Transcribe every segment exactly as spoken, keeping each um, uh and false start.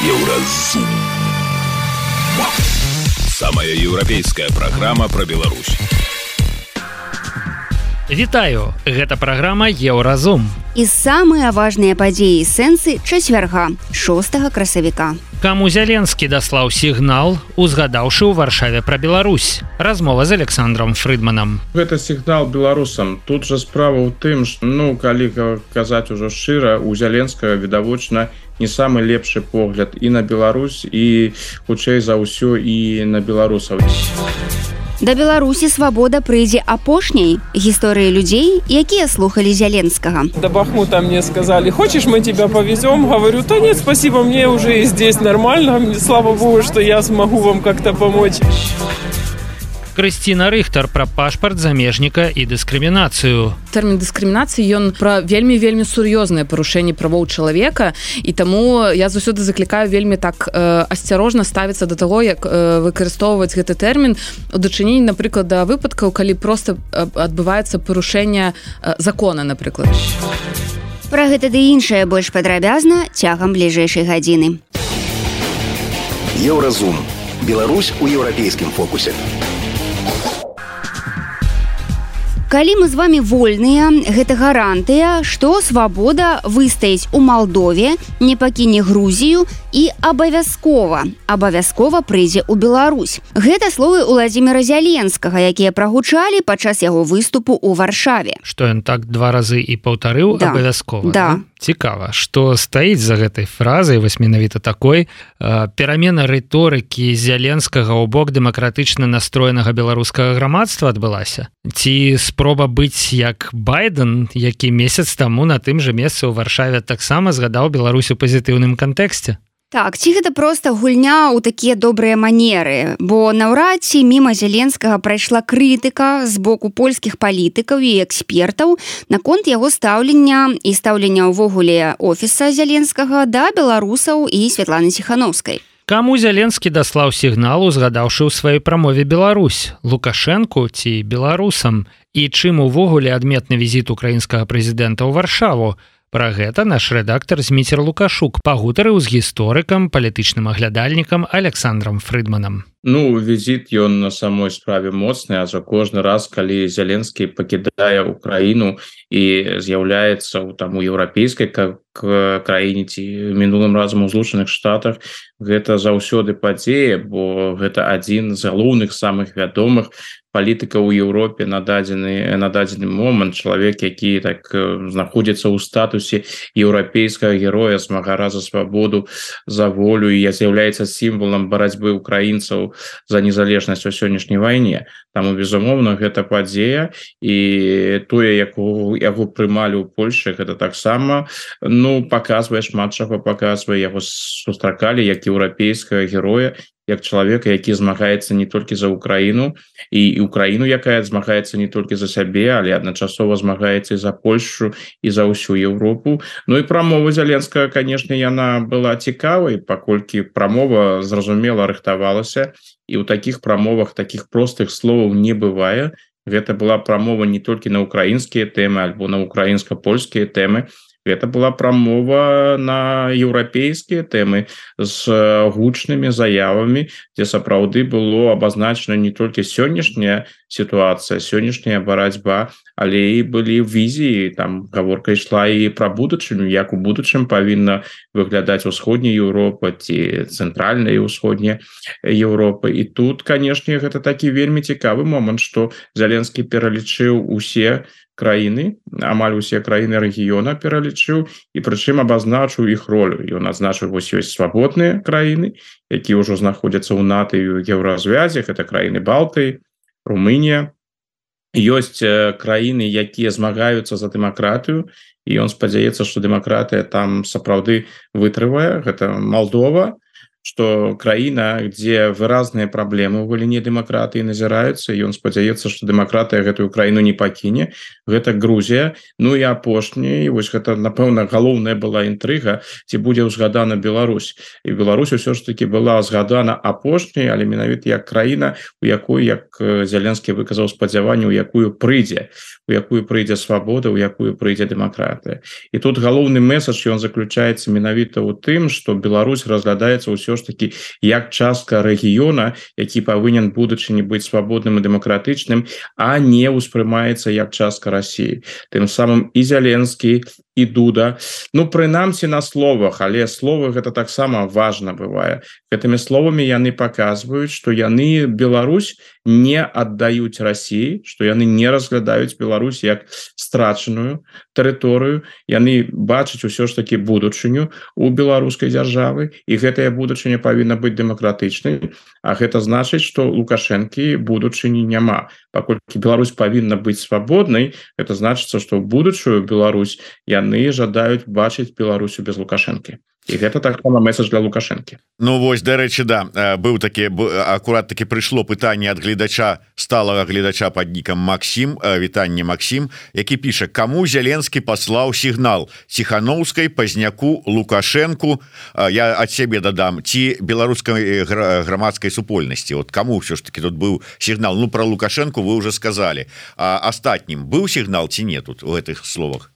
Еўразум. Самая еўрапейская праграма пра Беларусь. Вітаю, гэта праграма Еўразум. І самыя важныя падзеі і сэнсы чацвярга, шостага красавіка. Каму Зяленскі даслаў сігнал, узгадаўшы ў Варшаве пра Беларусь. Размова з Александром Фрыдманам. Гэта сігнал беларусам. Тут жа справа ў тым, што, ну, калі казаць ужо шчыра, у Зяленскага відавочна не самы лепшы погляд і на Беларусь, і хутчэй за ўсё і на беларусаў. Да Беларусі свабода прыйдзе апошняй. Гісторыі людзей, якія слухалі Зяленскага. До Бахмута мне сказали: хочешь, мы тебя повезем? Говорю: да нет, спасибо, мне уже и здесь нормально. Слава богу, что я смогу вам как-то помочь. Крысціна Рыхтар пра пашпарт замежніка і дыскрымінацыю. Тэрмін дыскрымінацыі ён пра вельмі-вельмі сур'ёзнае парушэнне правоў чалавека, і таму я заўсёды заклікаю вельмі так э, асцярожна ставіцца да таго, як э, выкарыстоўваць гэты тэрмін у дачыненні, напрыклад, да выпадкаў, калі проста э, адбываецца парушэнне э, закона, напрыклад. Пра гэта ды іншае больш падрабязна цягам бліжэйшай гадзіны. Еўразум. Беларусь у еўрапейскім фокусе. Калі мы з вамі вольныя, гэта гарантыя, што свабода выстаіць у Малдове, не пакіне Грузію і абавязкова, абавязкова прыйдзе ў Беларусь. Гэта словы Уладзіміра Зяленскага, якія прагучалі падчас яго выступу ў Варшаве. Што ён так два разы і паўтарыў да. абавязкова. Да. Да? Цікава, што стаіць за гэтай фразай, вось менавіта такой, э, перамена рыторыкі Зяленскага ў бок дэмакратычна настроенага беларускага грамадства адбылася? Ці спроба быць як Байден, які месяц таму на тым жа месцы ў Варшаве таксама згадаў Беларусь у пазітыўным кантэксце? Так, ці гэта проста гульня ў такія добрыя манеры, бо наўрад ці міма Зяленскага прайшла крытыка з боку польскіх палітыкаў і экспертаў наконт яго стаўлення і стаўлення ўвогуле офіса Зяленскага да беларусаў і Святланы Ціханаўскай. Каму Зяленскі даслаў сігнал, узгадаўшы ў сваёй прамове Беларусь? Лукашэнку ці беларусам? І чым увогуле адметны візіт украінскага прэзідэнта ў Варшаву? Пра гэта наш рэдактар Зміцер Лукашук пагутарыў з гісторыкам, палітычным аглядальнікам Александром Фрыдманам. Ну, візіт ён на самой справе моцны, а за кожны раз, калі Зяленскі пакідае Украіну і з'яўляецца ў там у еўрапейскай краіне ці мінулым разам у Злучаных Штатах, гэта заўсёды падзея, бо гэта адзін з галоўных самых вядомых палітыка ў Еўропе на дадзены на дадзены момант, чалавек, які так знаходзіцца ў статусе еўрапейскага героя, змагара за свабоду, за волю, і з'яўляецца сімвалам барацьбы украінцаў за незалежнасць у сённяшняй вайне. Таму, безумоўна, гэта падзея, і тое, як яго прымалі ў Польшчы, гэта таксама, ну, паказвае, шмат чаго паказвае, яго сустракалі як еўрапейскага героя, як чалавека, які змагаецца не толькі за Украіну, і Украіну, якая змагаецца не толькі за сябе, але адначасова змагаецца і за Польшчу, і за ўсю Еўропу. Ну і прамова Зяленскага, канешне, яна была цікавай, паколькі прамова зразумела рыхтавалася, і ў такіх прамовах такіх простых словаў не бывае. Гэта была прамова не толькі на украінскія тэмы, альбо на украінска-польскія тэмы. Гэта была прамова на еўрапейскія тэмы з гучнымі заявамі, дзе сапраўды было абазначана не толькі сённяшняя сітуацыя, сённяшняя барацьба, але і былі візіі, там гаворка ішла і пра будучыню, як у будучым павінна выглядаць усходняя Еўропа ці цэнтральная і ўсходняя Еўропа. І тут, канешне, гэта такі вельмі цікавы момант, што Зяленскі пералічыў усе краіны, амаль усе краіны рэгіёна пералічыў, і прычым абазначыў іх ролю. Ён адзначыў, вось ёсць свабодныя краіны, якія ўжо знаходзяцца ў НАТО і ў еўразвязе, гэта краіны Балтыі, Румынія. Ёсць краіны, якія змагаюцца за дэмакратыю, і ён спадзяецца, што дэмакратыя там сапраўды вытрывае, гэта Малдова, что краіна, где выразныя праблемы ў галіне дэмакратыі назіраюцца, ён спадзяецца, что дэмакратыя гэтую краіну не пакіне. Гэта Грузія. Ну і апошні, вось гэта напэўна галоўная была інтрыга, ці будзе ўзгадана Беларусь. І Беларусь усё ж таки была згадана апошняй, але менавіта як краіна, у якой, як Зеленскі выказаў спадзяванне, у якую прыйдзе, у якую прыйдзе свабода, у якую прыйдзе дэмакратыя. І тут галоўны месадж ён заключаецца менавіта ў тым, што Беларусь разглядаецца ўсё ж таки як частка рэгіёна, які павінен будучыні быць свабодным і дэмакратычным, а не ўспрымаецца як частка России. Тым самым і Зеленскі, і Дуда, ну прынамсі на словах, але словы гэта таксама важна бывае. Гэтымі словамі яны паказваюць, што яны Беларусь не аддаюць России, што яны не разглядаюць Беларусь як страчаную тэрыторыю, яны бачаць усё ж таки будучыню у беларускай дзяржавы, і гэтая будучыня павінна быць дэмакратычнай, а гэта значыць, што Лукашэнкі будучыні няма. Паколькі Беларусь павінна быць свабоднай, это значыцца, што ў будучую Беларусь яны жадаюць бачыць Беларусю без Лукашэнкі. І гэта таксама месседж для Лукашэнкі. Ну вось, дарэчы, да, быў такі, акурат таки прыйшло пытанне ад гледача, сталага гледача пад нікам Максім, вітанне Максім, які піша: каму Зеленскі паслаў сігнал? Ціхановскай, Пазняку, Лукашэнку? Я ад сябе дадам, ці беларускай грамадскай супольнасці? Вот каму ўсё ж таки тут быў сігнал? Ну про Лукашэнку вы уже сказали. А астатнім быў сігнал ці не тут у гэтых словах?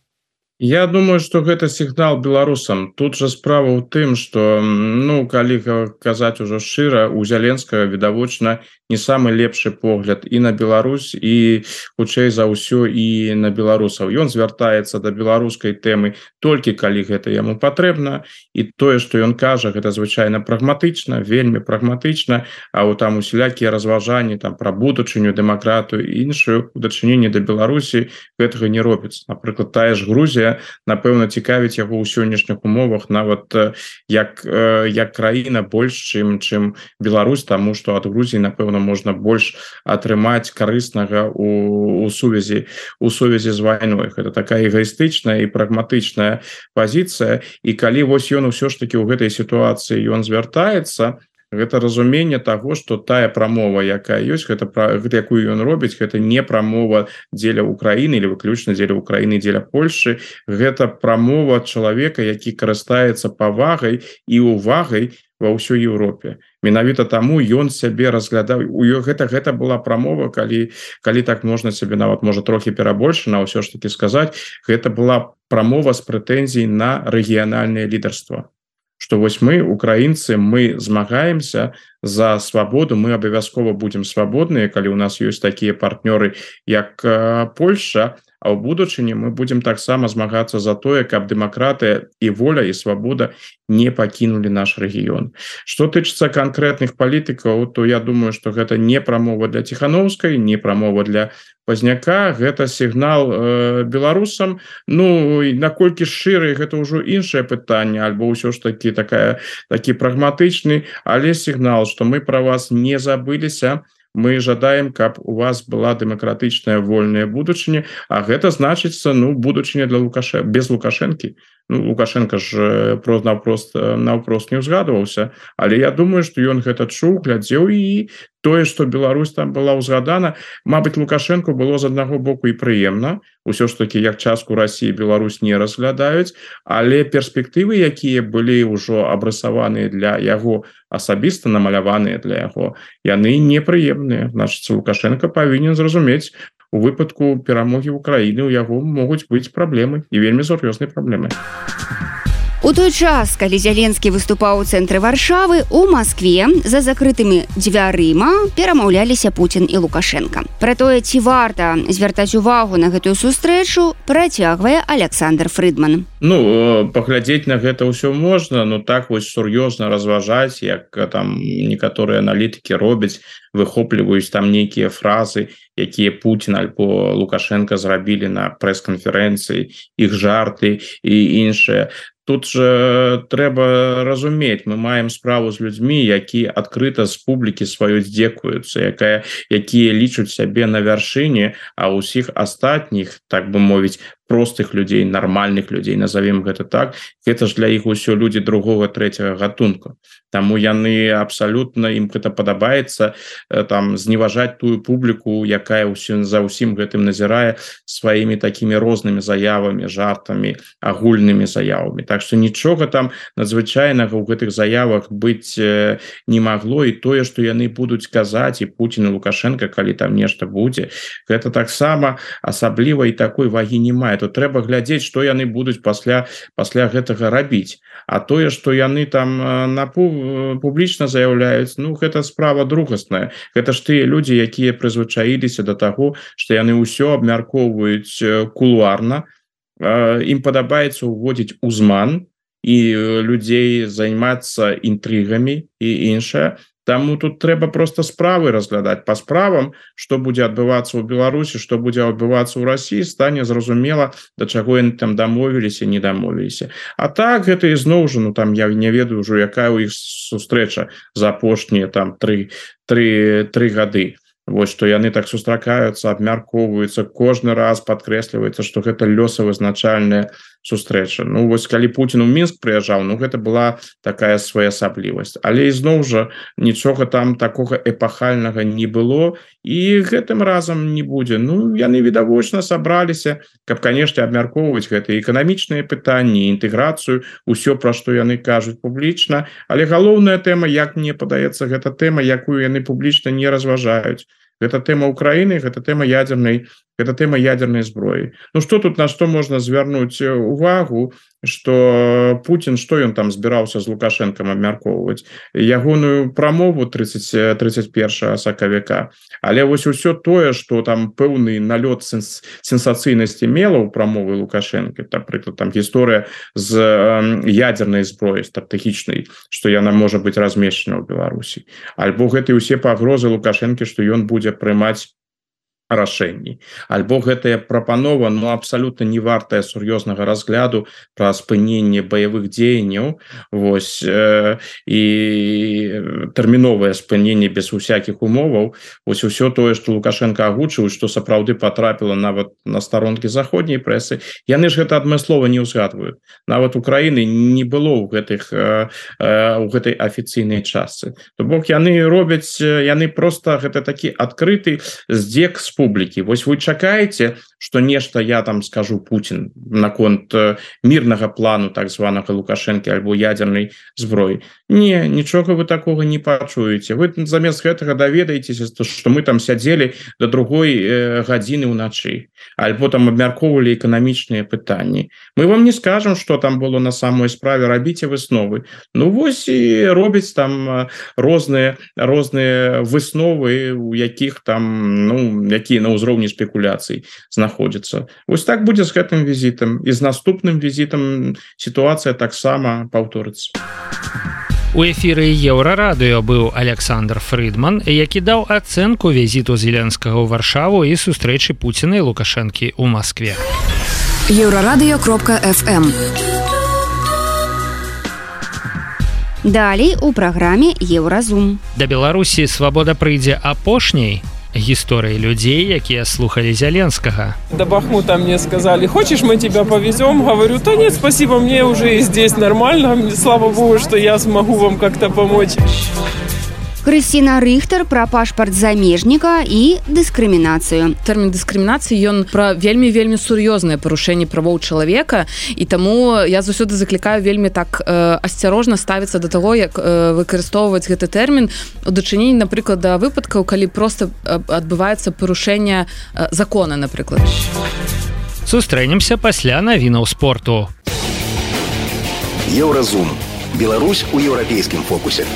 Я думаю, что гэта сігнал беларусам. Тут же справа ў тым, что, ну, калі казаць ужо шчыра, у Зеленскага відавочна не самы лепшы погляд і на Беларусь, і хутчэй за ўсё і на беларусаў. Ён звяртаецца да беларускай тэмы толькі калі гэта яму патрэбна, і тое, што ён кажа, гэта звычайна прагматычна, вельмі прагматычна, а вот там усялякія разважанні там пра будучыню, дэмакратыю і іншую у дачыненні да Беларусі гэтага не робіцца. Напрыклад, тая ж Грузія, напэўна, цікавіць яго ў сённяшніх умовах нават як як краіна больш чым чым Беларусь, таму што ад Грузіі напэўна можна больш атрымаць карыснага у, у сувязі у сувязі з вайной. Гэта такая эгоістычная і прагматычная пазіцыя, і калі вось ён усё ж таки ў гэтай сітуацыі ён звяртаецца, гэта разуменне таго, што тая прамова, якая ёсць, гэта пра якую ён робіць, гэта не прамова дзеля Украіны или выключна дзеля Украіны, дзеля Польшы, гэта прамова чалавека, які карыстаецца павагай і увагай ва ўсёй Еўропе. Менавіта таму ён сябе разглядаў. У гэта гэта была прамова, калі калі так можна сябе нават можа трохі перабольшана, ўсё ж таки сказаць, гэта была прамова з прэтэнзій на рэгіянальнае лідарства. Что вось мы, украінцы, мы змагаемся за свабоду, мы абавязкова будзем свабодныя, калі у нас ёсць такія партнёры, як Польша, а ў будучыні мы будзем таксама змагацца за тое, каб дэмакратыя і воля і свабода не пакінулі наш рэгіён. Што тычыцца канкрэтных палітыкаў, то я думаю, што гэта не прамова для Ціхановскай, не прамова для Пазняка, гэта сігнал э, беларусам. Ну, наколькі шчыры, гэта ўжо іншае пытанне, альбо ўсё ж такі такая такі прагматычны, але сігнал, што мы пра вас не забыліся, мы жадаем, каб у вас была дэмакратычная вольная будучыня, а гэта значыцца, ну, будучыня для Лукашэ... без Лукашэнкі. Ну, Лукашенко ж просто наўпрост наўпрост не ўзгадываўся, але я думаю, што ён гэта чуў, глядзеў, і тое, што Беларусь там была ўзгадана, мабыць, Лукашенко было з аднаго боку і прыемна, усё ж таки як частку России Беларусь не разглядаюць, але перспектывы, якія былі ўжо абрысаваныя для яго, асабіста намаляваныя для яго, яны непрыемныя. Значыць, Лукашенко павінен зразумець, у выпадку перамогі Украіны у яго могуць быць праблемы, і вельмі сур'ёзныя праблемы. У той час, калі Зеленскі выступаў у цэнтры Варшавы, у Маскве за закрытымі дзвярыма перамаўляліся Пуцін і Лукашенко. Пра тое, ці варта звяртаць увагу на гэтую сустрэчу, працягвае Александр Фрыдман. Ну, паглядзець на гэта ўсё можна, но так вось сур'ёзна разважаць, як там некаторыя аналітыкі робяць, выхопліваюць там нейкія фразы, якія Путін альбо Лукашенко зрабілі на прэс-канферэнцыі, іх жарты і іншыя. Тут же трэба разумець, мы маем справу з людзьмі, які адкрыта з публікі сваёй здзекуюцца, якая якія лічаць сябе на вяршыні, а ўсіх астатніх, так бы мовіць, простых людзей, нармальных людзей, назовем гэта так, гэта ж для іх усё людзі другого третьего гатунку. Таму яны абсалютна, ім гэта падабаецца там зневажаць тую публіку, якая ўсё за ўсім гэтым назірае сваімі такімі рознымі заявамі, жартамі, агульнымі заявамі. Так што нічога там надзвычайнага ў гэтых заявах быць не магло, і тое, што яны будуць казаць, і Путін і Лукашенко, калі там нешта будзе, гэта таксама асабліва і такой вагі не мае. То трэба глядзець, што яны будуць пасля пасля гэтага рабіць. А тое, што яны там на публічна заяўляюць, ну гэта справа другасная. Гэта ж тыя людзі, якія прызвычаіліся да таго, што яны ўсё абмяркоўваюць кулуарна. Ім падабаецца ўводзіць узман і людзей займацца інтрыгамі і іншае. Таму тут трэба просто справы разглядаць по справам, што будзе адбывацца ў Беларусі, што будзе адбывацца ў Расіі, стане зразумела, да чаго яны там дамовіліся, не дамовіліся. А так гэта ізноў жа, ну там я не ведаю ўжо, якая ў іх сустрэча за апошнія там тры гады. Вось што яны так сустракаюцца, абмяркоўваюцца, кожны раз падкрэсліваецца, што гэта лёсавызначальная сустрэча. Ну вось калі Путін у Мінск прыязджаў, ну гэта была такая своеасаблівасць. Але ізноў жа нічога там такога эпахальнага не было, і гэтым разам не будзе. Ну яны відавочна сабраліся, каб, канешне, абмяркоўваць гэтыя эканамічныя пытанні, інтэграцыю, усё, пра што яны кажуць публічна. Але галоўная тэма, як мне падаецца, гэта тэма, якую яны публічна не разважаюць. Гэта тэма Украіны, гэта тэма ядзернай, гэта тэма ядзернай зброі. Ну што тут, на што можна звярнуць увагу, што Путін, што ён там збіраўся з Лукашэнкам абмяркоўваць? Ягоную прамову тридцать первого сакавіка. Але вось усё тое, што там пэўны налёт сенс, сенсацыйнасці мела ў прамовы Лукашэнка, напрыклад, там гісторыя з ядзернай зброі стратэгічнай, што яна можа быць размешчана ў Беларусі. Альбо гэтыя ўсе пагрозы Лукашэнкі, што ён будзе прымаць рашэнні. Альбо гэтая прапанова, ну, абсалютна не вартая сур'ёзнага разгляду пра спыненне баявых дзеянняў, вось, э, і тэрміновае спыненне без усякіх умоваў, вось усё тое, што Лукашенко агучыў, што сапраўды патрапіла нават на старонкі заходняй прэсы, яны ж гэта адмыслова не ўзгадваюць. Нават Украіны не было ў гэтых э, э, у гэтай афіцыйнай частцы. То бок яны робяць, яны проста гэта такі адкрыты здзек з публікі. Вось вы чакаеце, што нешта я там скажу Путін наконт мірнага плану так званага Лукашэнкі альбо ядзернай зброі. Не, нічога вы такога не пачуеце. Вы замест гэтага даведаецеся, што мы там сядзелі да другой э, гадзіны ўначы, альбо там абмяркоўвалі эканамічныя пытанні. Мы вам не скажам, што там было на самой справе, рабіце высновы. Ну вось і робяць там розныя розныя высновы, у якіх там, ну, якія на ўзроўні спекуляцый знаходзяцца. Вось так будзе з гэтым візітам, і з наступным візітам сітуацыя таксама паўторыцца. У эфіры Еўрарадыё быў Александр Фрыдман, які даў ацэнку візіту Зеленскага ў Варшаву і сустрэчы Пуціна і Лукашэнкі ў Маскве. еўрарадыё кропка эф эм. Далей у праграме Еўразум. Да Беларусі свабода прыйдзе апошняй. Гісторыі людзей, якія слухалі Зеленскага. До Бахмута мне сказали: хочешь, мы тебя повезем? Говорю: да нет, спасибо, мне уже и здесь нормально. Слава богу, что я смогу вам как-то помочь. Крысціна Рыхтар пра пашпарт замежніка і дыскрымінацыю. Тэрмін дыскрымінацыі, ён пра вельмі-вельмі сур'ёзнае парушэнне правоў чалавека, і таму я заўсёды заклікаю вельмі так э, асцярожна ставіцца да таго, як э, выкарыстоўваць гэты тэрмін у дачыненні, напрыклад, да выпадкаў, калі проста э, адбываецца парушэнне э, закона, напрыклад. Сустрэнемся пасля навінаў спорту. Еўразум. Беларусь у еўрапейскім фокусе.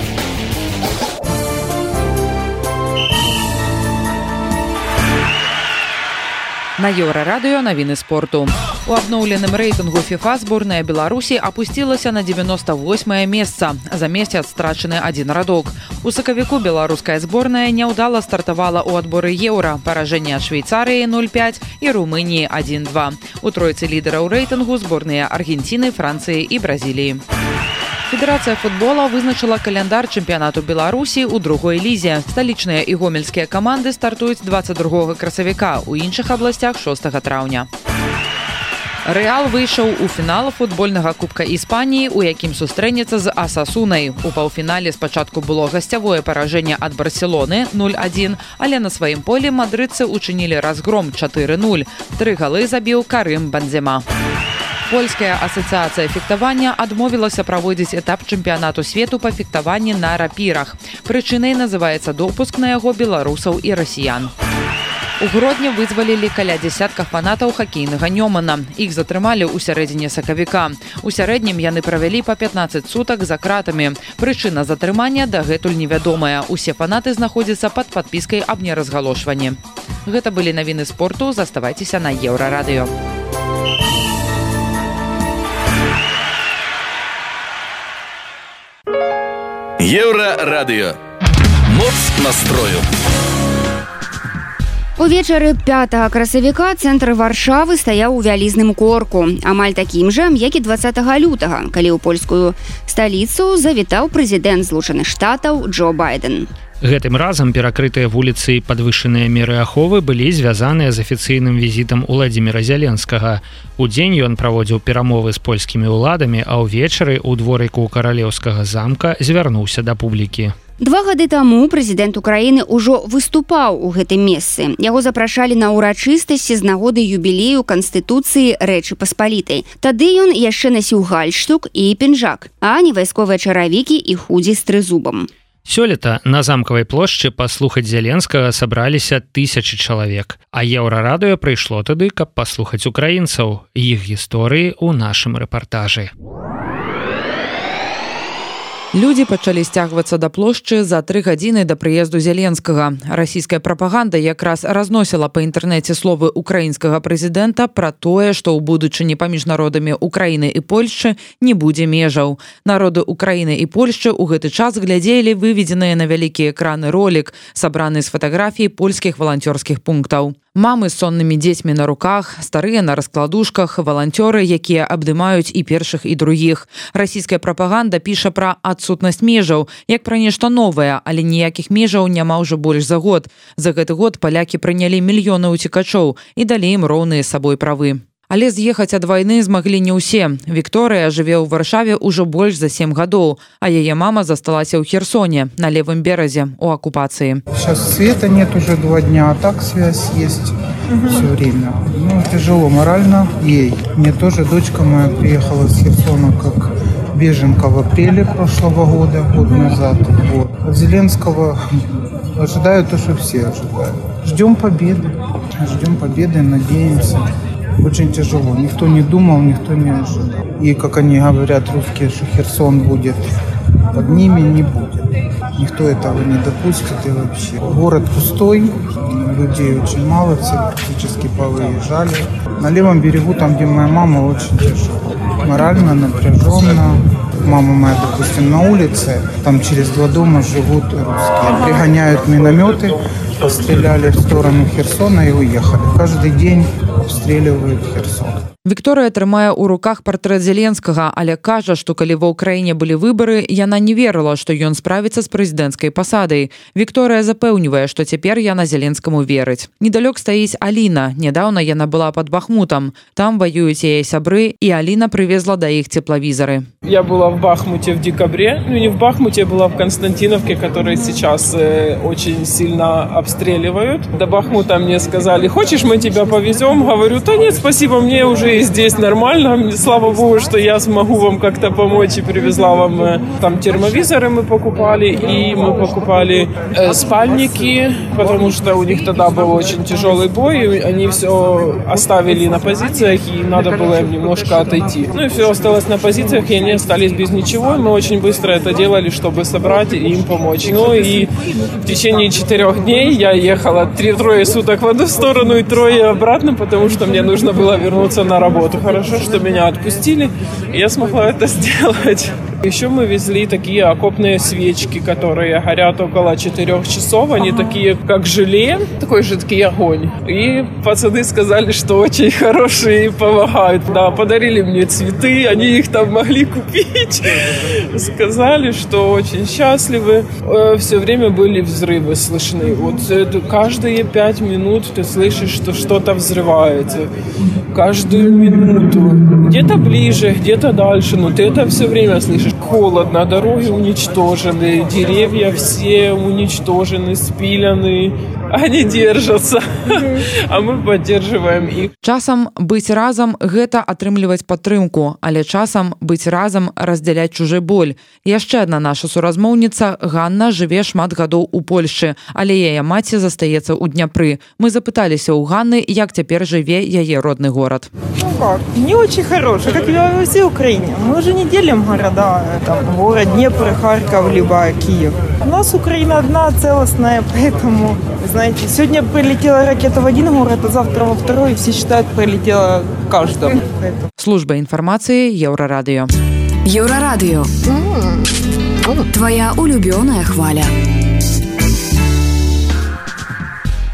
На Еўрарадыё навіны спорту. У абноўленым рэйтынгу FIFA зборная Беларусі апусцілася на девяносто восьмае месца, за месяц страчаны адзін радок. У сакавіку беларуская зборная няўдала стартавала ў адборы еўра, паражэнне ад Швейцарыі нуль пять і Румыніі адзін два. У тройцы лідараў рэйтынгу зборныя Аргенціны, Францыі і Бразіліі. Федэрацыя футбола вызначыла каляндар чэмпіянату Беларусі ў другой лізе. Сталічныя і гомельскія каманды стартуюць двадцать другога красавіка, у іншых абласцях шостага траўня. Рэал выйшаў у фінал футбольнага кубка Іспаніі, у якім сустрэнецца з Асасунай. У паўфінале спачатку было гасцявое паражэнне ад Барселоны нуль адзін, але на сваім полі мадрыдцы учынілі разгром чатыры нуль. Тры галы забіў Карым Бензема. Польская асацыяцыя фехтавання адмовілася праводзіць этап чэмпіянату свету па фехтаванні на рапірах. Прычынай называецца допуск на яго беларусаў і расіян. У Гродні вызвалілі каля дзясятка фанатаў хакейнага Нёмана. Іх затрымалі ў сярэдзіне сакавіка. У сярэднім яны правялі па пятнаццаць сутак за кратамі. Прычына затрымання дагэтуль невядомая. Усе фанаты знаходзяцца пад падпіскай аб неразгалошванні. Гэта былі навіны спорту. Заставайцеся на Еўрарадыё. Еўрарадыё. Моц настрою. Увечары пятага красавіка цэнтр Варшавы стаяў у вялізным корку, амаль такім жа, як і дваццатага лютага, калі ў польскую сталіцу завітаў прэзідэнт Злучаных Штатаў Джо Байден. Гэтым разам перакрытыя вуліцы і падвышаныя меры аховы былі звязаныя з афіцыйным візітам Уладзіміра Зяленскага. Удзень ён праводзіў перамовы з польскімі ўладамі, а ўвечары ў дворыку каралеўскага замка звярнуўся да публікі. Два гады таму прэзідэнт Украіны ўжо выступаў у гэтым месцы. Яго запрашалі на ўрачыстасці з нагоды юбілею Канстытуцыі Рэчы Паспалітай. Тады ён яшчэ насіў гальштук і пінжак, а не вайсковыя чаравікі і худзі з трызубам. Сёлета на замкавай плошчы паслухаць Зяленскага сабраліся тысячы чалавек, а Еўрарадыё прыйшло тады, каб паслухаць украінцаў, іх гісторыі ў нашым рэпартажы. Людзі пачалі сцягвацца да плошчы за тры гадзіны да прыезду Зяленскага. Расійская прапаганда якраз разносіла па інтэрнэце словы украінскага прэзідэнта пра тое, што ў будучыні паміж народамі Украіны і Польшчы не будзе межаў. Народы Украіны і Польшчы ў гэты час глядзелі выведзеныя на вялікія экраны ролік, сабраны з фатаграфій польскіх валанцёрскіх пунктаў. Мамы з соннымі дзецьмі на руках, старыя на раскладушках, валанцёры, якія абдымаюць і першых, і другіх. Расійская прапаганда піша пра адсутнасць межаў, як пра нешта новае, але ніякіх межаў няма ўжо больш за год. За гэты год палякі прынялі мільёны ўцекачоў і далі ім роўныя з сабой правы. Але з'ехаць ад вайны змаглі не ўсе. Вікторыя жыве ў Варшаве ўжо больш за сем гадоў, а яе мама засталася ў Херсоне, на левым беразе, у оккупации. Сейчас света нет уже два дня, а так связь есть угу. все время. Ну, тяжело морально ей. Мне тоже дочка моя приехала с Херсона как беженка в апреле прошлого года, год назад. Вот. От Зеленского ожидаю то, что все ожидают. Ждем победы. Ждем победы, надеемся. Очень тяжело. Никто не думал, никто не ожидал. И, как они говорят, русские, что Херсон будет под ними, не будет. Никто этого не допустит и вообще. Город пустой, людей очень мало, все практически повыезжали. На левом берегу, там, где моя мама, очень тяжело. Морально, напряженно. Мама моя, допустим, на улице, там через два дома живут русские. Пригоняют минометы, постреляли в сторону Херсона и уехали. Каждый день обстреливают Херсон. Вікторыя трымае ў руках партрэт Зеленскага, але кажа, што калі ва ўкраіне былі выбары, яна не верыла, што ён справіцца з прэзідэнцкай пасадай. Вікторыя запэўнівае, што цяпер яна Зеленскаму верыць. Недалёк стаіць Аліна. Нядаўна яна была пад Бахмутам. Там ваююць яе сябры, і Аліна привезла да іх тепловизоры. Я была в Бахмуте в декабре. Ну, не в Бахмуте, была в Константиновке, которые сейчас э, очень сильно обстреливают. До Бахмута мне сказали: хочешь, мы тебя повезем? Говорю: да нет, спасибо, мне уже и здесь нормально. Слава богу, что я смогу вам как-то помочь, и привезла вам э, там термовизоры мы покупали, и мы покупали э, спальники, потому что у них тогда был очень тяжелый бой, и они все оставили на позициях, и надо было им немножко отойти. Ну и все осталось на позициях, и они остались без ничего. Мы очень быстро это делали, чтобы собрать и им помочь. Ну и в течение четырех дней я ехала три, трое суток в одну сторону и трое обратно, потому что мне нужно было вернуться на работу. Хорошо, что меня отпустили, и я смогла это сделать. Еще мы везли такие окопные свечки, которые горят около четырех часов. Они ага. такие, как желе, такой жидкий огонь. И пацаны сказали, что очень хорошие и помогают. Да, подарили мне цветы, они их там могли купить. Сказали, что очень счастливы. Все время были взрывы слышны. Вот каждые пять минут ты слышишь, что что-то взрывается. Каждую минуту. Где-то ближе, где-то дальше, но ты это все время слышишь. Холодно, дороги уничтожены, деревья все уничтожены, спилены. Они держатся, а мы поддерживаем их. Часам быць разам – гэта атрымліваць падтрымку, але часам быць разам – раздзяляць чужы боль. Яшчэ адна наша суразмоўніца Ганна жыве шмат гадоў у Польшчы, але яе маці застаецца ў Дняпры. Мы запыталіся ў Ганны, як цяпер жыве яе родны горад. Ну как, не очень хороший, как и во всей Украине. Мы уже не делим города, там, город Днепр, Харьков, либо Киев. У нас Украина одна, целостная, поэтому, знаете, сегодня прилетела ракета в один город, а завтра во второй, и все считают, прилетела в каждом. Служба информации Еврорадио. Еврорадио. Твоя улюбленная хваля.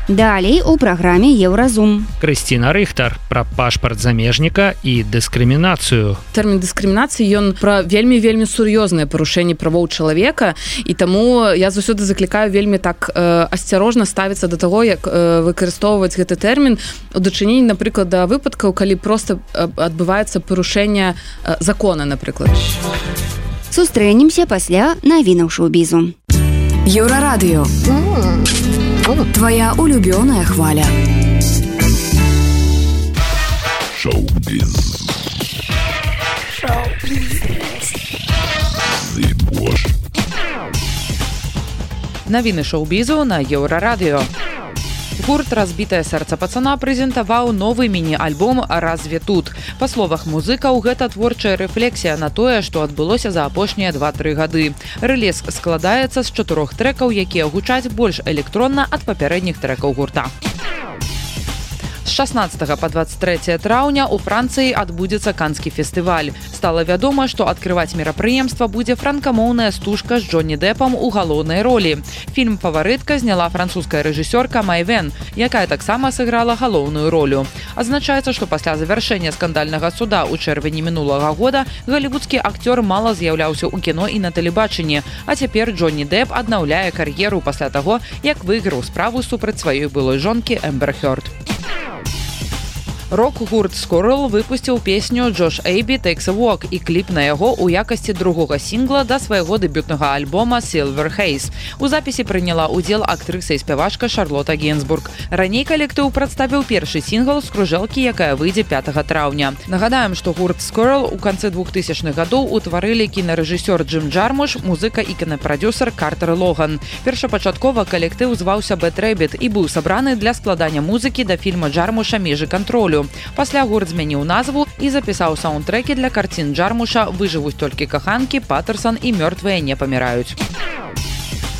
Далей у праграме Еўразум. Крысціна Рыхтар пра пашпарт замежніка і дыскрымінацыю. Тэрмін дыскрымінацыі ён пра вельмі-вельмі сур'ёзнае парушэнне правоў чалавека, і таму я заўсёды заклікаю вельмі так э, асцярожна ставіцца да таго, як э, выкарыстоўваць гэты тэрмін у дачыненні, напрыклад, да выпадкаў, калі проста адбываецца парушэнне э, закона, напрыклад. Сустрэнемся пасля навінаў шоу-бізу. Еўрарадыё. Твоя улюбленная хваля. Шоу-біз. Навіны шоу-бізу на Еўрарадыё. Гурт «Разбітае сэрца пацана» прэзентаваў новы міні-альбом «Разве тут?». Па словах музыкаў, гэта творчая рэфлексія на тое, што адбылося за апошнія два-тры гады. Рэліз складаецца з чатырох трэкаў, якія гучаць больш электронна ад папярэдніх трэкаў гурта. З шаснаццатага па дваццаць трэцяе траўня ў Францыі адбудзецца Канскі фестываль. Стала вядома, што адкрываць мерапрыемства будзе франкамоўная стужка з Джонні Дэпам у галоўнай ролі. Фільм «Фаварытка» зняла французская рэжысёрка Май Вен, якая таксама сыграла галоўную ролю. Адзначаецца, што пасля завяршэння скандальнага суда ў чэрвені мінулага года галівудскі акцёр мала з'яўляўся ў кіно і на тэлебачанні, а цяпер Джонні Дэп аднаўляе кар'еру пасля таго, як выйграў справу супраць сваёй былой жонкі Эмбер Хёрд. Рок-гурт Squirrel выпусціў песню «Josh Abbey Takes a Walk» і кліп на яго ў якасці другога сінгла да свайго дэбютнага альбома «Silver Haze». У запісе прыняла ўдзел актрыса і спявачка Шарлота Генсбург. Раней калектыў прадставіў першы сінгл з кружэлкі, якая выйдзе пятага траўня. Нагадаем, што гурт Squirrel у канцы двухтысячных гадоў утварылі кінарэжысёр Джим Джармуш, музыка і кінапрадзюсар Картер Логан. Першапачаткова калектыў зваўся Bad Rabbit і быў сабраны для складання музыкі да фільма Джармуша «Межы кантролю». Пасля гурт змяніў назву і запісаў саундтрэкі для карцін Джармуша «Выжывуць толькі каханкі», «Паттерсон» і «Мёртвыя не паміраюць».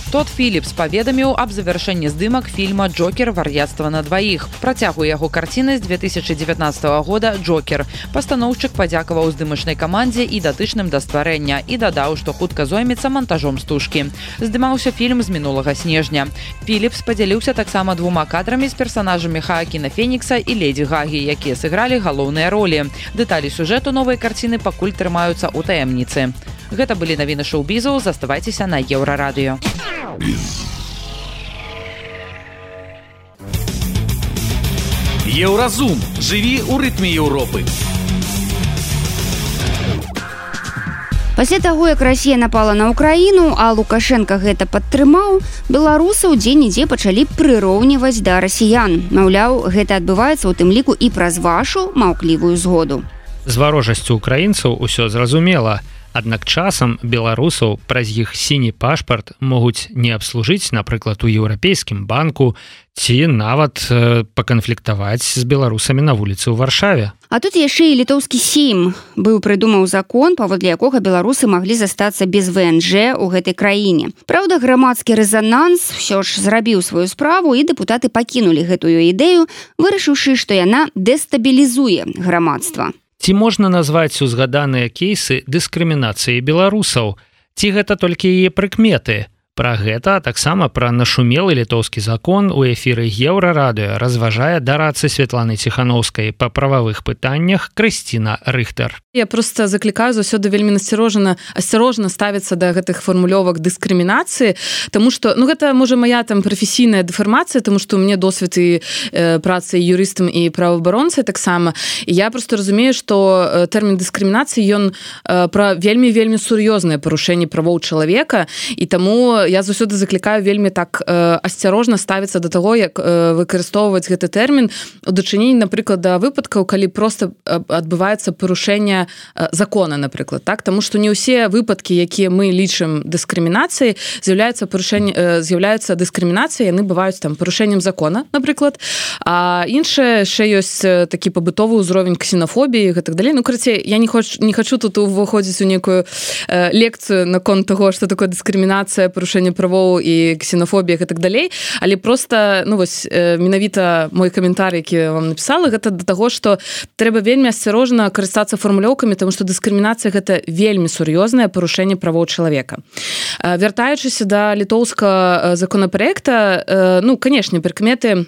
Тодд Філіпс паведаміў аб завяршэнні здымак фільма «Джокер. Вар'яцтва на дваіх». Працягу яго карціны з две тысячы дзевятнаццатага года «Джокер». Пастаноўшчык падзякаваў здымачнай камандзе і датычным да стварэння і дадаў, што хутка зоймецца мантажом стужкі. Здымаўся фільм з мінулага снежня. Філіпс падзяліўся таксама двума кадрамі з персанажамі Хаакіна Фенікса і Леді Гагі, якія сыгралі галоўныя ролі. Дэталі сюжэту новай карціны пакуль трымаюцца ў таямніцы. Гэта былі навіны шоу-бізу, заставайцеся на Еўрарадыё. Еўразум. Жыві ў рытме Еўропы. Пасля таго, як Расія напала на Украіну, а Лукашенка гэта падтрымаў, беларусы ў дзе-нідзе пачалі прыроўніваць да расіян. Маўляў, гэта адбываецца ў тым ліку і праз вашу маўклівую згоду. З варожасцю украінцаў усё зразумела. Аднак часам беларусаў праз іх сіні пашпарт могуць не абслужыць, напрыклад, у еўрапейскім банку ці нават э, паканфліктаваць з беларусамі на вуліцы ў Варшаве. А тут яшчэ і літоўскі сейм быў прыдумаў закон, паводле якога беларусы маглі застацца без вэ эн жэ ў гэтай краіне. Праўда, грамадскі рэзананс ўсё ж зрабіў сваю справу, і дэпутаты пакінулі гэтую ідэю, вырашыўшы, што яна дэстабілізуе грамадства. Ці можна назваць узгаданыя кейсы дыскрымінацыі беларусаў? Ці гэта толькі яе прыкметы? Пра гэта, а таксама пра нашумелы літоўскі закон у эфіры Еўрарадыё разважае дарацы Светланы Ціхановскай па прававых пытаннях Крысціна Рыхтар. Я просто заклікаю заўсёды вельмі асцярожна асцярожна ставіцца да гэтых фармулёвак дыскрымінацыі, таму што ну гэта можа моя там прафесійная дэфармацыя, таму што ў мяне досвед і э, працы юрыстам і праваабаронцай таксама. І я просто разумею, што тэрмін дыскрымінацыі ён э, пра вельмі вельмі сур'ёзнае парушэнне правоў чалавека, і таму я заўсёды заклікаю вельмі так э, асцярожна ставіцца да таго, як э, выкарыстоўваць гэты тэрмін у дачыненні, напрыклад, да выпадкаў, калі просто адбываецца парушэнне э, закона, напрыклад, так, таму што не ўсе выпадкі, якія мы лічым дыскрымінацыяй, з'яўляюцца парушэнне э, з'яўляюцца дыскрымінацыяй, яны бываюць там парушэннем закона, напрыклад, а іншае яшчэ ёсць такі пабытовы ўзровень ксенафобіі, гэтак далей. Ну, карацей, я не хочу не хочу тут уваходзіць у некую э, лекцыю наконт таго, што такое дыскрымінацыя, парушэнне правоў і ксенафобія і так далей, але просто ну вось менавіта мой каментар, які вам напісала, гэта да таго, што трэба вельмі асцярожна карыстацца фармулёўкамі, таму што дыскрымінацыя гэта вельмі сур'ёзнае парушэнне правоў чалавека. Вяртаючыся да літоўскага законапраекта, ну, канешне, прыкметы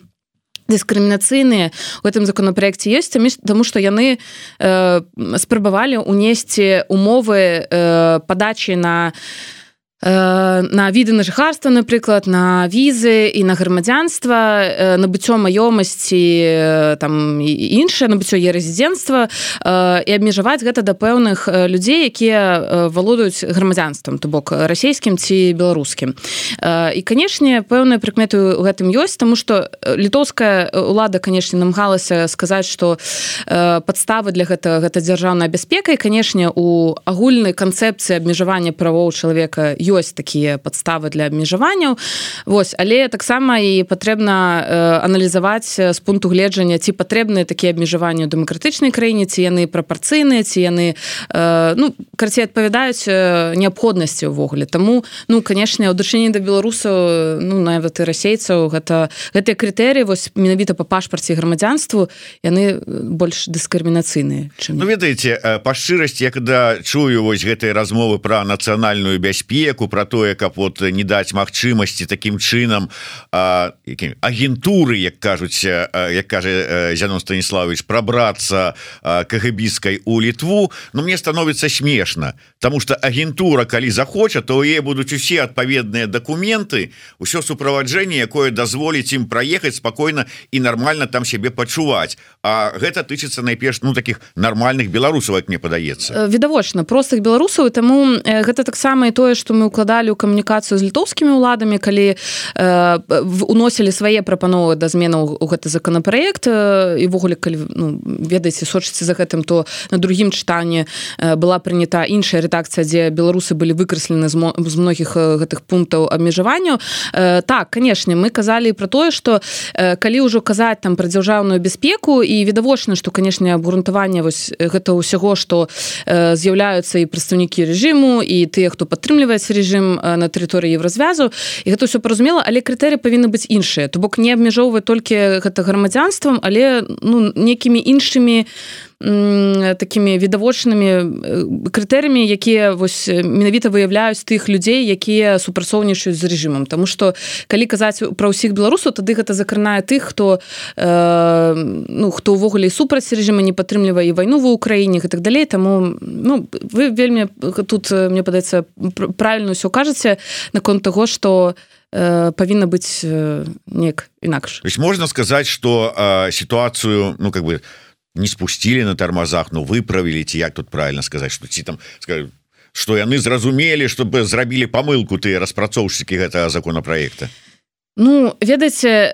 дыскрымінацыйныя у гэтым законапраекце ёсць, таму што яны э, спрабавалі ўнесці умовы э, падачы на на віды на жыхарства, напрыклад, на візы і на грамадзянства, набыццё маёмасці, там і іншае, набыццё е-рэзідэнцтва, і абмежаваць гэта да пэўных людзей, якія валодаюць грамадзянствам, то бок расійскім ці беларускім. І, канешне, пэўныя прыкметы ў гэтым ёсць, таму што літоўская ўлада, канешне, намагалася сказаць, што падставы для гэтага гэта дзяржаўная бяспека, і, канешне, у агульнай канцэпцыі абмежавання правоў чалавека ёсць такія падставы для абмежаванняў. Вось, але таксама і патрэбна э, аналізаваць з пункту гледжання, ці патрэбныя такія абмежаванні ў дэмакратычнай краіне, ці яны прапарцыйныя, ці яны э, ну, карацей, адпавядаюць э, неабходнасці ўвогуле. Таму, ну, канешне, ў дачыненні да беларусаў, ну, нават і расейцаў, гэта гэтыя крытэрыі, вось менавіта па пашпарце грамадзянству, яны больш дыскрымінацыйныя, чым. Ну, ведаеце, па шчырасці, я когда чую вось гэтыя размовы пра нацыянальную бяспеку, про тое, каб вот не даць магчымасці таким чынам а, агентуры, як кажуць, як кажа Зянон Станіславович, прабрацца кагбісткай у Літву, ну мне становіцца смешна, потому что агентура, калі захоча, то у яе будуць усе адпаведныя дакументы, усё суправаджэнне, якое дазволіць ім праехаць спакойна і нармальна там сябе пачуваць. А гэта тычыцца найперш ну таких нармальных беларусаў, як мне падаецца. Відавочна, простых беларусаў, таму гэта таксама і тое, што мы укладалі ў камунікацыю з літоўскімі ўладамі, калі э, уносілі свае прапановы да зменаў у гэты законапраект, і ввогуле, калі ну, ведаеце, сочыце за гэтым, то на другім чытанні э, была прынята іншая рэдакцыя, дзе беларусы былі выкрэслены з, з многіх гэтых пунктаў абмежаванняў. Э, так, канешне, мы казалі пра тое, што э, калі ўжо казаць там пра дзяржаўную бяспеку, і відавочна, што, канешне, абгрунтаванне вось гэта ўсяго, што э, з'яўляюцца і прадстаўнікі рэжыму, і тыя, хто падтрымліваць рэжым на тэрыторыі Еўразвязу, і гэта ўсё паразумела, але крытэрыі павінны быць іншыя, то бок не абмяжоўваць толькі гэта грамадзянствам, але ну, некімі іншымі такімі відавочнымі крытэрыямі, якія вось менавіта выяўляюць тых людзей, якія супрацоўнічаюць з рэжымам. Таму што калі казаць пра ўсіх беларусаў, тады гэта закранае тых, хто э, ну, хто ўвогуле супраць рэжыма, не падтрымлівае і вайну ва ўкраіне і так далей. Таму ну, вы вельмі тут, мне падаецца, правільна ўсё кажаце наконт таго, што э, павінна быць э, неяк інакш. То есть можна сказаць, што э, сітуацыю, ну как бы не спусцілі на тармазах, ну выправілі, ці як тут правильно сказаць, што ці там скажу, што яны зразумелі, чтобы зрабілі памылку тыя распрацоўшчыкі гэтага законапраекта. Ну, ведаеце,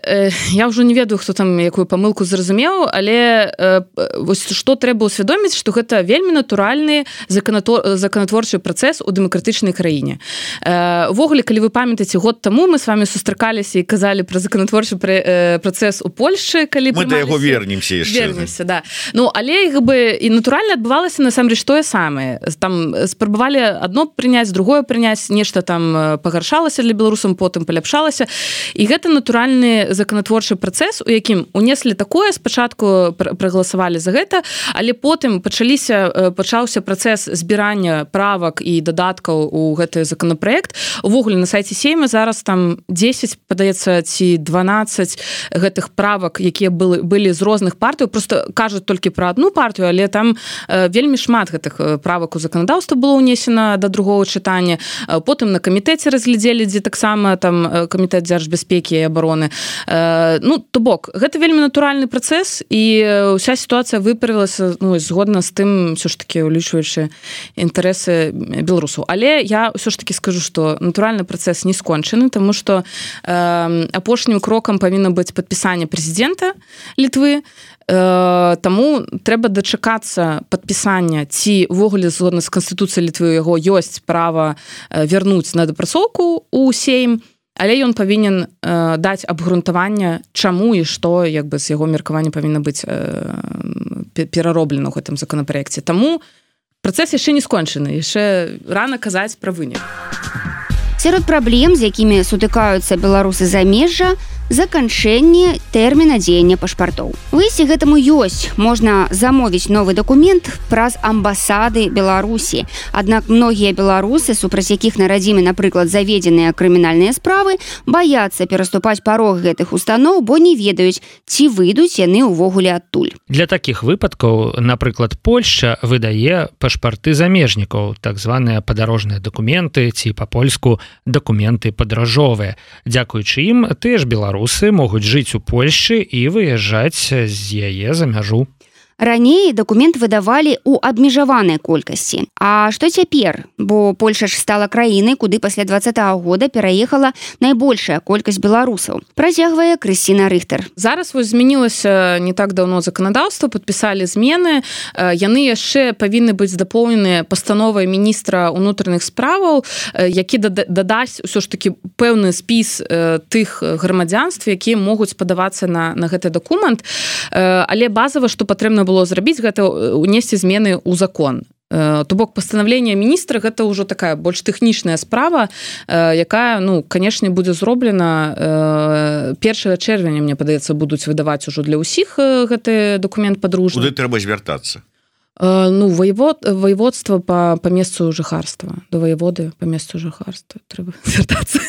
я ўжо не ведаю, хто там якую памылку зразумеў, але э, вось што трэба ўсвядоміць, што гэта вельмі натуральны законатворчы працэс у дэмакратычнай краіне. Увогуле, э, калі вы памятаеце, год таму мы с вами сустракаліся і казалі пра законатворчы працэс у Польшчы, калі мы да яго вернемся яшчэ. Вернемся, да. Ну, але як бы і натуральна адбывалася насамрэч тое самае. Там спрабавалі адно прыняць, другое прыняць, нешта там пагаршалася для беларусам, потым паляпшалася. і гэта натуральны законатворчы працэс, у якім унеслі такое, спачатку прагаласавалі за гэта, але потым пачаліся пачаўся працэс збірання правак і дадаткаў у гэты законопроект. Увогуле на сайце Сейма зараз там дзесяць, падаецца, ці дванаццаць гэтых правак, якія былі, былі з розных партый, просто кажуць толькі пра одну партыю, але там э, вельмі шмат гэтых правак у заканадаўства было ўнесена да другого чытання. Потым на камітэце разглядзелі, дзе таксама там камітэт дзяржбяспекі і абароны. Э, ну, то бок, гэта вельмі натуральны працэс, і ўся сітуацыя выправілася, ну, згодна з тым, ўсё ж таки улічваючы інтарэсы беларусаў. Але я ўсё ж таки скажу, што натуральны працэс не скончаны, таму што э, апошнім крокам павінна быць падпісанне прэзідэнта Літвы. Э, таму трэба дачакацца падпісання, ці ўвогуле згодна з канстытуцыяй Літвы у яго ёсць права вярнуць на дапрацоўку ў Сейм, але ён павінен э, даць абгрунтаванне, чаму і што, як бы, з яго меркавання павінна быць э, перароблена ў гэтым законапраекце. Таму працэс яшчэ не скончаны, яшчэ рана казаць пра вынік. Сярод праблем, з якімі сутыкаюцца беларусы замежжа, заканчэнне тэрміна дзеяння пашпартоў. Выйсце гэтаму ёсць. Можна замовіць новы дакумент праз амбасады Беларусі. Аднак многія беларусы, супраць якіх на радзіме, напрыклад, заведзеныя крымінальныя справы, баяцца пераступаць парог гэтых устаноў, бо не ведаюць, ці выйдуць яны ўвогуле адтуль. Для такіх выпадкаў, напрыклад, Польшча выдае пашпарты замежнікаў, так званыя падарожныя дакументы, ці па-польску дакументы падарожовыя. Дзякуючы ім, тыя ж беларусы Беларусы могуць жыць у Польшчы і выязджаць з яе за мяжу. Раней дакумент выдавалі ў абмежаванай колькасці. А што цяпер? Бо Польша ж стала краінай, куды пасля двадцатага года пераехала найбольшая колькасць беларусаў. Працягвае Крысціна Рыхтар. Зараз вось змянілася не так даўно заканадаўства, падпісалі змены. Яны яшчэ павінны быць дапоўненыя пастановай міністра ўнутраных справаў, які дадасць усё ж такі пэўны спіс тых грамадзянств, якія могуць падавацца на, на гэты дакумент. Але базава, што патрэбна было зрабіць, гэта унесці змены ў закон. То бок пастанаўленне міністра гэта ўжо такая больш тэхнічная справа, якая, ну, канешне, будзе зроблена першага чэрвеня, мне падаецца, будуць выдаваць ужо для ўсіх гэты дакумент падружны. Куды трэба звяртацца? Ну, воевод, воеводство по, по месцу жыхарства. До воеводы по месцу жыхарства трэба звяртацца.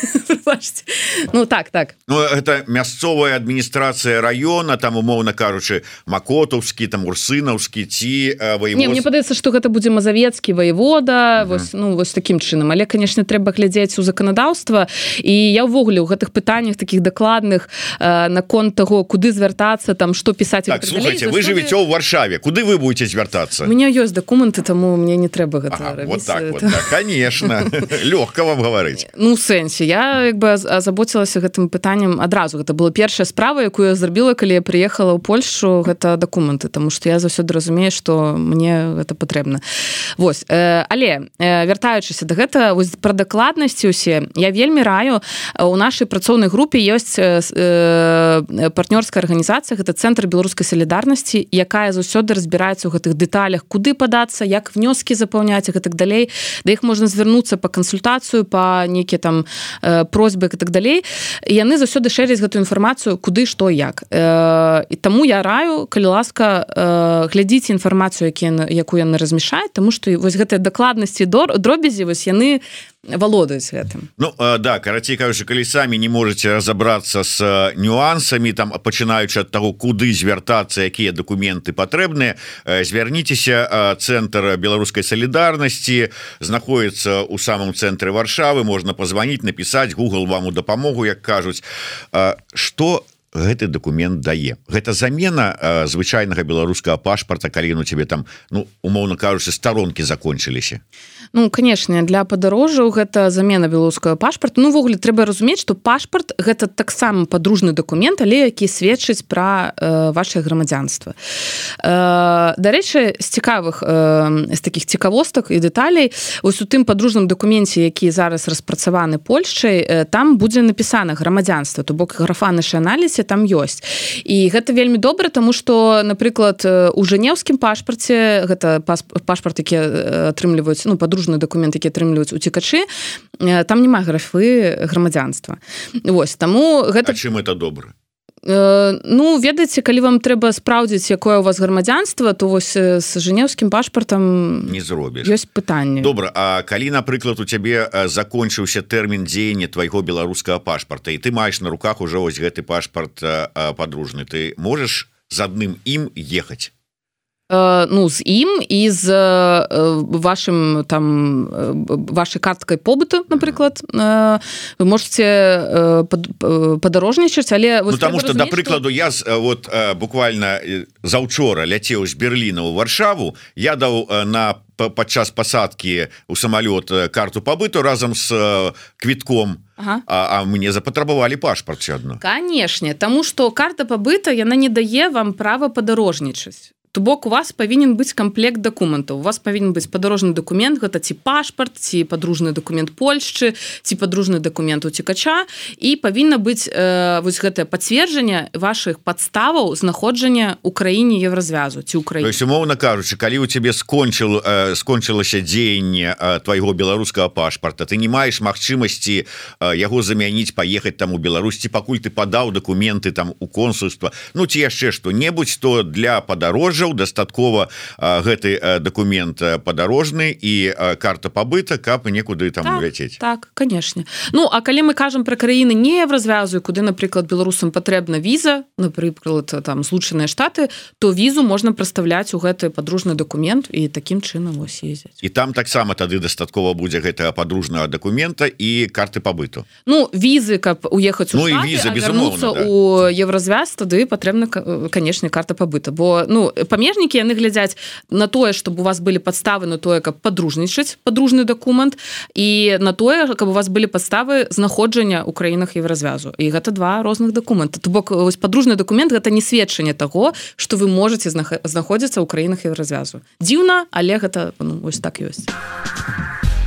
Ну, так, так. Ну, это мясцовая адміністрацыя раёна, там, умоўна кажучы, Макотаўскі, там, Урсынаўскі, ці воевод... Не, мне падаецца, што гэта будзе мазавецкі воевода, uh-huh. вось, ну, вось такім чынам. Але, канешне, трэба глядзець у заканадаўства. І я ўвогуле ў гэтых пытаннях такіх дакладных э, наконт таго, куды звяртацца, там, што пісаць... Так, слухайте, вы жывеце ў Варшаве. Куды вы будете звяртацца? У меня ёсць дакументы, таму мне не трэба гэта ага, рабіць. Вот так, вот так, конечно. Лёгка вам гаварыць. Ну, у сэнсе, я як бы азаботзілася гэтым пытаннем адразу. Гэта была першая справа, якую я зрабіла, калі я прыехала ў Польшу, гэта дакументы, таму што я заўсёды разумею, што мне гэта патрэбна. Вось, э, але э, вяртаючыся да гэта, вось пра дакладнасці ўсе, я вельмі раю, у нашай працоўнай групе ёсць э, э, партнёрская арганізацыя, гэта Цэнтр беларускай салідарнасці, якая заўсёды разбіраецца ў гэтых дэталях, куды падацца, як внёскі запаўняць і так далей, да іх можна звярнуцца па кансультацыю, па нейкія там э, просьбы і так далей. І яны заўсёды шэряць гэтую інфармацыю, куды, што, як. Э, і таму я раю, калі ласка, э, глядзіце інфармацыю, якую яны размяшаюць, таму што вось гэтыя дакладнасці дробязі, вось яны валодаюць гэтым. Ну, э, да, карацей кажучы, калі самі не можете разобрацца с нюансамі, там, пачынаючы ад таго, куды звяртацца, якія дакументы патрэбныя, э, звярніцеся, э, Цэнтр беларускай салідарнасці знаходіцца ў самым цэнтры Варшавы, можна пазваніць, напісаць, Google вам у дапамогу, як кажуць. Э, што гэты дакумент дае? Гэта замена э, звычайнага беларускага пашпарта, калі ну тебе там, ну, умоўна кажучы, старонкі закончыліся? Ну, конечно, для падарожжаў гэта замена беларускага пашпарта. Ну, ввогуле трэба разумець, што пашпарт гэта таксама падружны дакумент, але які сведчыць пра э, ваше грамадзянства. Э, дарэчы, з цікавых э, з такіх цікавостак і дэталей, ось у тым падружным дакуменце, які зараз распрацаваны Польшчай, э, там будзе напісана грамадзянства, то бок графа нашаналізе, там ёсць. І гэта вельмі добра, таму што, напрыклад, у жэнеўскім пашпарце, гэта пашпарт, які атрымліваюць, ну, падружны дакумент, які атрымліваюць уцекачы, там няма графы грамадзянства. Вось, таму гэта... А чым это добра? Ну, ведаеце, калі вам трэба спраўдзіць, якое у вас грамадзянства, то вось з жэнеўскім пашпартам не зробіш. Ёсць пытанне. Добра, а калі, напрыклад, у цябе закончыўся тэрмін дзеяння твайго беларускага пашпарта, і ты маеш на руках ужо вось гэты пашпарт падружны, ты можаш з адным ім ехаць? Ну, з ім і з вашим там вашай карткай побыту, напрыклад, вы можете падарожнічаць, але ну, таму што, да прыкладу, я вот буквально заўчора ляцеў з Берліна ў Варшаву, я даў на падчас пасадкі ў самалёт карту пабыту разам з квітком. Ага. А, а мне запатрабавалі пашпарт адно. Канешне, таму што карта пабыта, яна не дае вам права падарожнічаць. То бок у вас павінен быць камплект дакументаў. У вас павінен быць падарожны дакумент, гэта ці пашпарт, ці падружны дакумент Польшчы, ці падружны дакумент уцекача, і павінна быць э, вось гэтае пацверджанне вашых падставаў знаходжання ў краіне Еўразвязу ці ў краіне. То есть, умоўна кажучы, калі у цябе скончыл, э, скончылася дзеянне э, твайго беларускага пашпарта, ты не маеш магчымасці э, яго замяніць, паехаць там у Беларусь, ці пакуль ты падаў дакументы там у консульства, ну ці яшчэ што-небудзь, то для падарожжаў дастаткова а, гэты а, дакумент падарожны і а, карта пабыта, каб некуды там так, ляцець. Так, канешне. Ну, а калі мы кажам пра краіны не Еўразвязу, куды, напрыклад, беларусам патрэбна віза, напрыклад, там Злучаныя Штаты, то візу можна прадстаўляць у гэты падружны дакумент і такім чынам вось ездзіць. І там таксама тады дастаткова будзе гэтага падружнага дакумента і карты пабыту. Ну, візы, каб уехаць у ну, Штаты, віза, а вярнуцца да. у Еўразвяз, тады патрэбна, канешне, карта пабыта. Бо, ну, памежнікі, яны глядзяць на тое, чтобы у вас былі падставы на тое, каб падружнічаць падружны дакумент, і на тое, каб у вас былі падставы знаходжання ў краінах Еўразвязу. І гэта два розных дакумента. То бок, вось падружны дакумент гэта не сведчанне таго, што вы можаце знаходзіцца ў краінах Еўразвязу. Дзіўна, але гэта ну, вось так ёсць.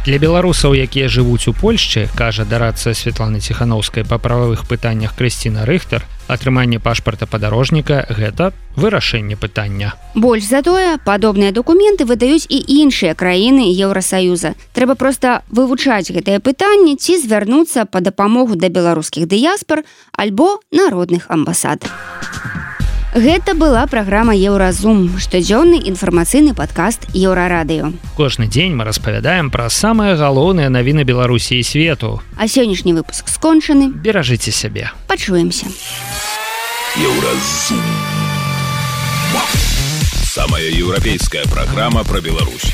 Для беларусаў, якія жывуць у Польшчы, кажа дарадца Святланы Ціхановскай па прававых пытаннях Крысціна Рыхтар, атрыманне пашпарта падарожніка – гэта вырашэнне пытання. Больш за тое, падобныя дакументы выдаюць і іншыя краіны Еўрасаюза. Трэба проста вывучаць гэтае пытанне ці звярнуцца па дапамогу да беларускіх дыяспар альбо народных амбасад. Гэта была праграма Еўразум, штодзённы інфармацыйны падкаст Еўрарадыё. Кожны дзень мы распавядаем пра самыя галоўныя навіны Беларусі і свету. А сённяшні выпуск скончаны. Беражыце сябе. Пачуемся. Еўразум. Самая еўрапейская праграма пра Беларусь.